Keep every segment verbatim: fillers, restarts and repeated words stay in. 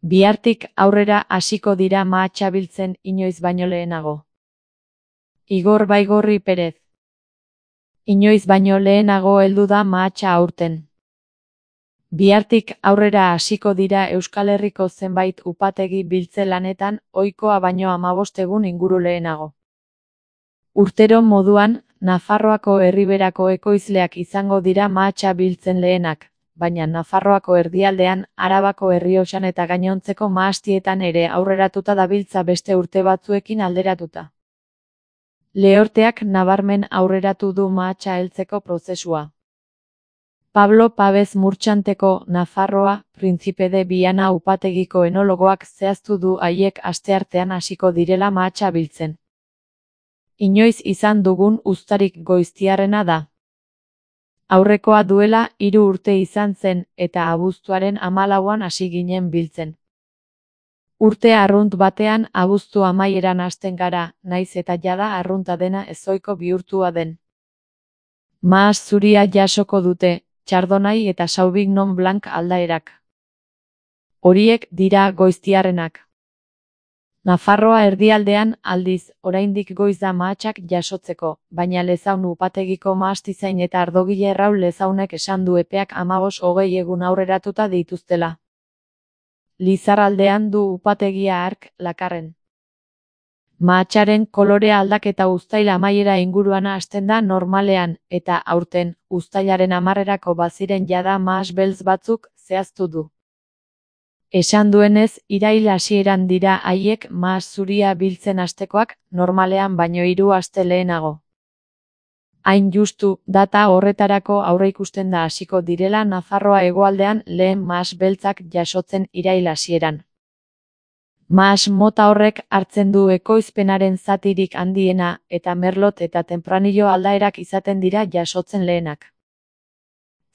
Bihartik aurrera hasiko dira mahatsa biltzen inoiz baino lehenago. Igor Baigorri Perez. Inoiz baino lehenago heldu da mahatsa aurten. Bihartik aurrera hasiko dira Euskal Herriko zenbait upategi biltze lanetan ohikoa baino hamabost egun inguru lehenago. Urtero moduan, Nafarroako Erriberako ekoizleak izango dira mahatsa biltzen lehenak, baina Nafarroako erdialdean, Arabako Errioxan eta gainontzeko mahastietan ere aurreratuta dabiltza beste urte batzuekin alderatuta. Lehorteak nabarmen aurreratu du mahatsa heltzeko prozesua. Pablo Pabez Murtxanteko Nafarroa, Príncipe de Viana upategiko enologoak zehaztu du haiek asteartean hasiko direla mahatsa biltzen. Inoiz izan dugun uztarik goiztiarrena da. Aurrekoa duela hiru urte izan zen eta abuztuaren hamalauan hasi ginen biltzen. Urte arrunt batean abuztu amaieran hasten gara, naiz eta jada arrunta dena ezohiko bihurtua den. Mahas zuria jasoko dute, Chardonnay eta Sauvignon Blanc aldaerak. Horiek dira goiztiarrenak. Nafarroa erdialdean, aldiz, oraindik goiz da mahatsak jasotzeko, baina Lezaun upategiko mahastizain eta ardogile Raul Lezaunek esan du epeak hamabost hogei egun aurreratuta dituztela. Lizarraldean du upategia hark, Lakarren. Mahatsaren kolore aldaketa uztail amaiera inguruan hasten da normalean, eta aurten, uztailaren hamarrerako baziren jada mahas beltz batzuk, zehaztu du. Esan duenez, irail hasieran dira haiek mahas zuria biltzen hastekoak, normalean baino hiru aste lehenago. Hain justu, data horretarako aurreikusten da hasiko direla Nafarroa hegoaldean lehen mahas beltzak jasotzen irail hasieran. Mahas mota horrek hartzen du ekoizpenaren zatirik handiena, eta merlot eta tempranillo aldaerak izaten dira jasotzen lehenak.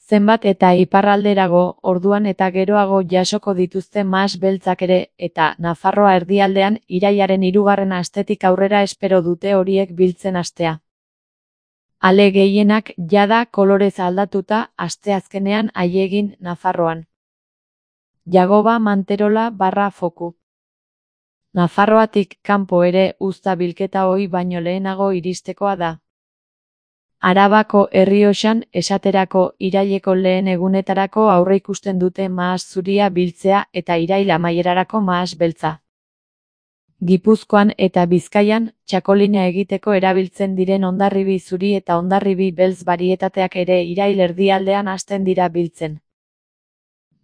Zenbat eta iparralderago, orduan eta geroago jasoko dituzte mahas beltzak ere, eta Nafarroa erdialdean irailaren hirugarren astetik aurrera espero dute horiek biltzen hastea. Ale gehienak jada kolorez aldatuta asteazkenean haiegin Nafarroan. Jagoba Manterola barra foku. Nafarroatik kanpo ere uzta bilketa ohi baino lehenago iristekoa da. Arabako Errioxan esaterako iraileko lehen egunetarako aurreikusten dute mahas zuria biltzea eta irail amaierarako mahas beltza. Gipuzkoan eta Bizkaian, txakolina egiteko erabiltzen diren hondarribi zuri eta hondarribi beltz barietateak ere irail erdialdean hasten dira biltzen.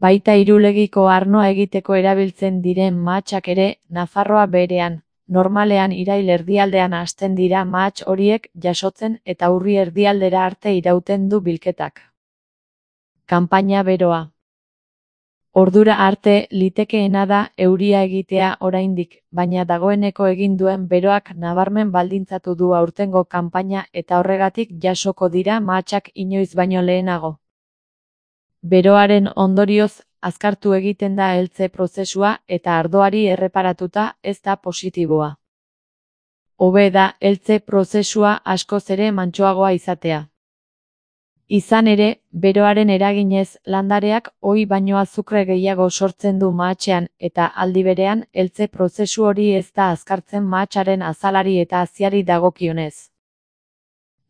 Baita Irulegiko arnoa egiteko erabiltzen diren mahatsak ere, Nafarroa berean. Normalean irail erdialdean hasten dira mahats horiek jasotzen eta urri erdialdera arte irauten du bilketak. Kanpaina beroa. Ordura arte litekeena da euria egitea oraindik, baina dagoeneko egin duen beroak nabarmen baldintzatu du aurtengo kanpaina eta horregatik jasoko dira mahatsak inoiz baino lehenago. Beroaren ondorioz, azkartu egiten da heltze prozesua eta ardoari erreparatuta ez da positiboa. Hobe da heltze prozesua askoz ere mantsoagoa izatea. Izan ere, beroaren eraginez landareak ohi baino azukre gehiago sortzen du mahatsean eta aldi berean heltze prozesu hori ez da azkartzen mahatsaren azalari eta haziari dagokionez.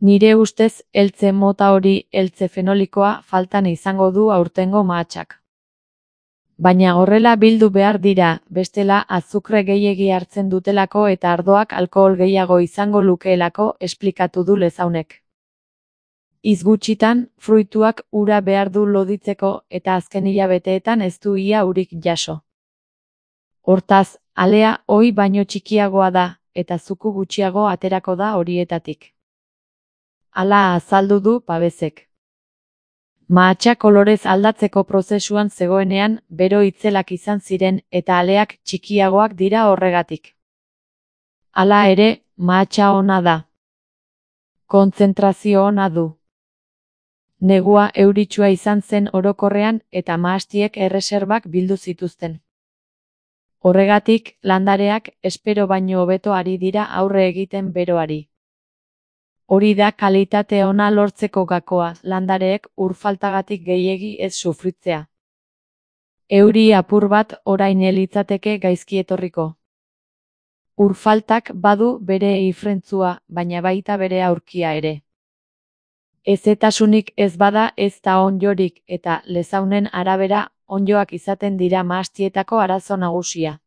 Nire ustez, heltze mota hori heltze fenolikoa faltan izango du aurtengo mahatsak. Baina horrela bildu behar dira, bestela azukre gehiegi hartzen dutelako eta ardoak alkohol gehiago izango lukeelako esplikatu du Lezaunek. Hitz gutxitan, fruituak ura behar du loditzeko eta azken hilabeteetan ez du ia urik jaso. Hortaz, alea ohi baino txikiagoa da, eta zuku gutxiago aterako da horietatik. Hala azaldu du Pabezek. Mahatsa kolorez aldatzeko prozesuan zegoenean, bero itzelak izan ziren eta aleak txikiagoak dira horregatik. Hala ere, mahatsa ona da. Kontzentrazio ona du. Negua euritsua izan zen orokorrean eta mahastiek erreserbak bildu zituzten. Horregatik, landareak espero baino hobeto ari dira aurre egiten beroari. Hori da kalitate ona lortzeko gakoa, landareek ur faltagatik gehiegi ez sufritzea. Euri apur bat orain litzateke gaizki etorriko. Urfaltak badu bere ifrentzua, baina baita bere aurkia ere. Ezetasunik ez bada ez da ondjorik eta lezaunen arabera ondjoak izaten dira mahastietako arazo nagusia.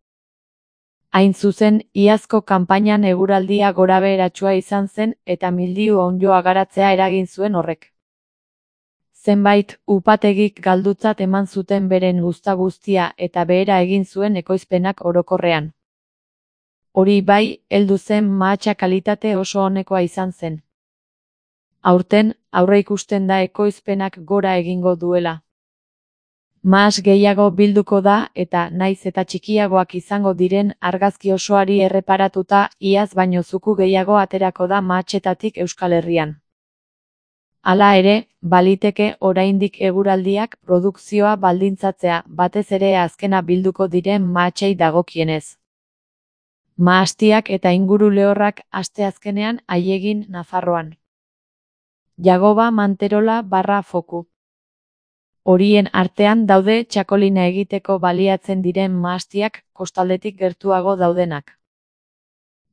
Hain zuzen, iazko kanpainan eguraldia gorabeheratsua izan zen eta mildiu ondjoa garatzea eragin zuen horrek. Zenbait upategik galdutzat eman zuten beren uzta guztia eta behera egin zuen ekoizpenak orokorrean. Hori bai, heldu zen mahatsa kalitate oso onekoa izan zen. Aurten, aurreikusten da ekoizpenak gora egingo duela. Mahas gehiago bilduko da eta naiz eta txikiagoak izango diren argazki osoari erreparatuta iaz baino zuku gehiago aterako da mahatsetatik Euskal Herrian. Hala ere, baliteke oraindik eguraldiak produkzioa baldintzatzea batez ere azkena bilduko diren mahatsei dagokienez. Mahastiak eta inguru lehorrak asteazkenean aiegin Nafarroan. Jagoba Manterola barra foku. Horien artean daude txakolina egiteko baliatzen diren mahastiak kostaldetik gertuago daudenak.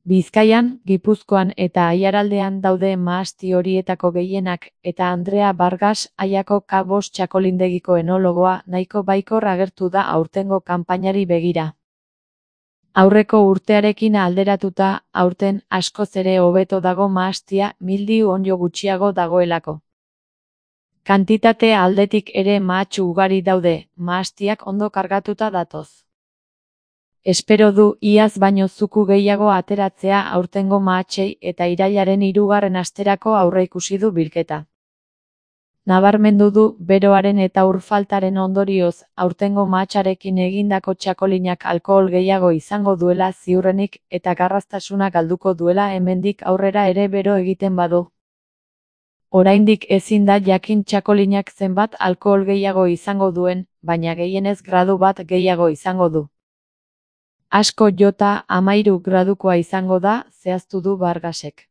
Bizkaian, Gipuzkoan eta Aiaraldean daude mahasti horietako gehienak eta Andrea Vargas Aiako K bost txakolindegiko enologoa nahiko baikor agertu da aurtengo kanpainari begira. Aurreko urtearekin alderatuta, aurten askoz ere hobeto dago mahastia mildiu ondjo gutxiago dagoelako. Kantitate aldetik ere mahatsu ugari daude, mahastiak ondo kargatuta datoz. Espero du iaz baino zuku gehiago ateratzea aurtengo mahatsei eta irailaren hirugarren asterako aurreikusi du bilketa. Nabarmendu du beroaren eta urfaltaren ondorioz aurtengo mahatsarekin egindako txakolinak alkohol gehiago izango duela ziurrenik eta garraztasuna galduko duela hemendik aurrera ere bero egiten badu. Oraindik ezin da jakin txakolinak zenbat alkohol gehiago izango duen, baina gehienez gradu bat gehiago izango du. Asko jota hamahiru gradukoa izango da, zehaztu du Vargasek.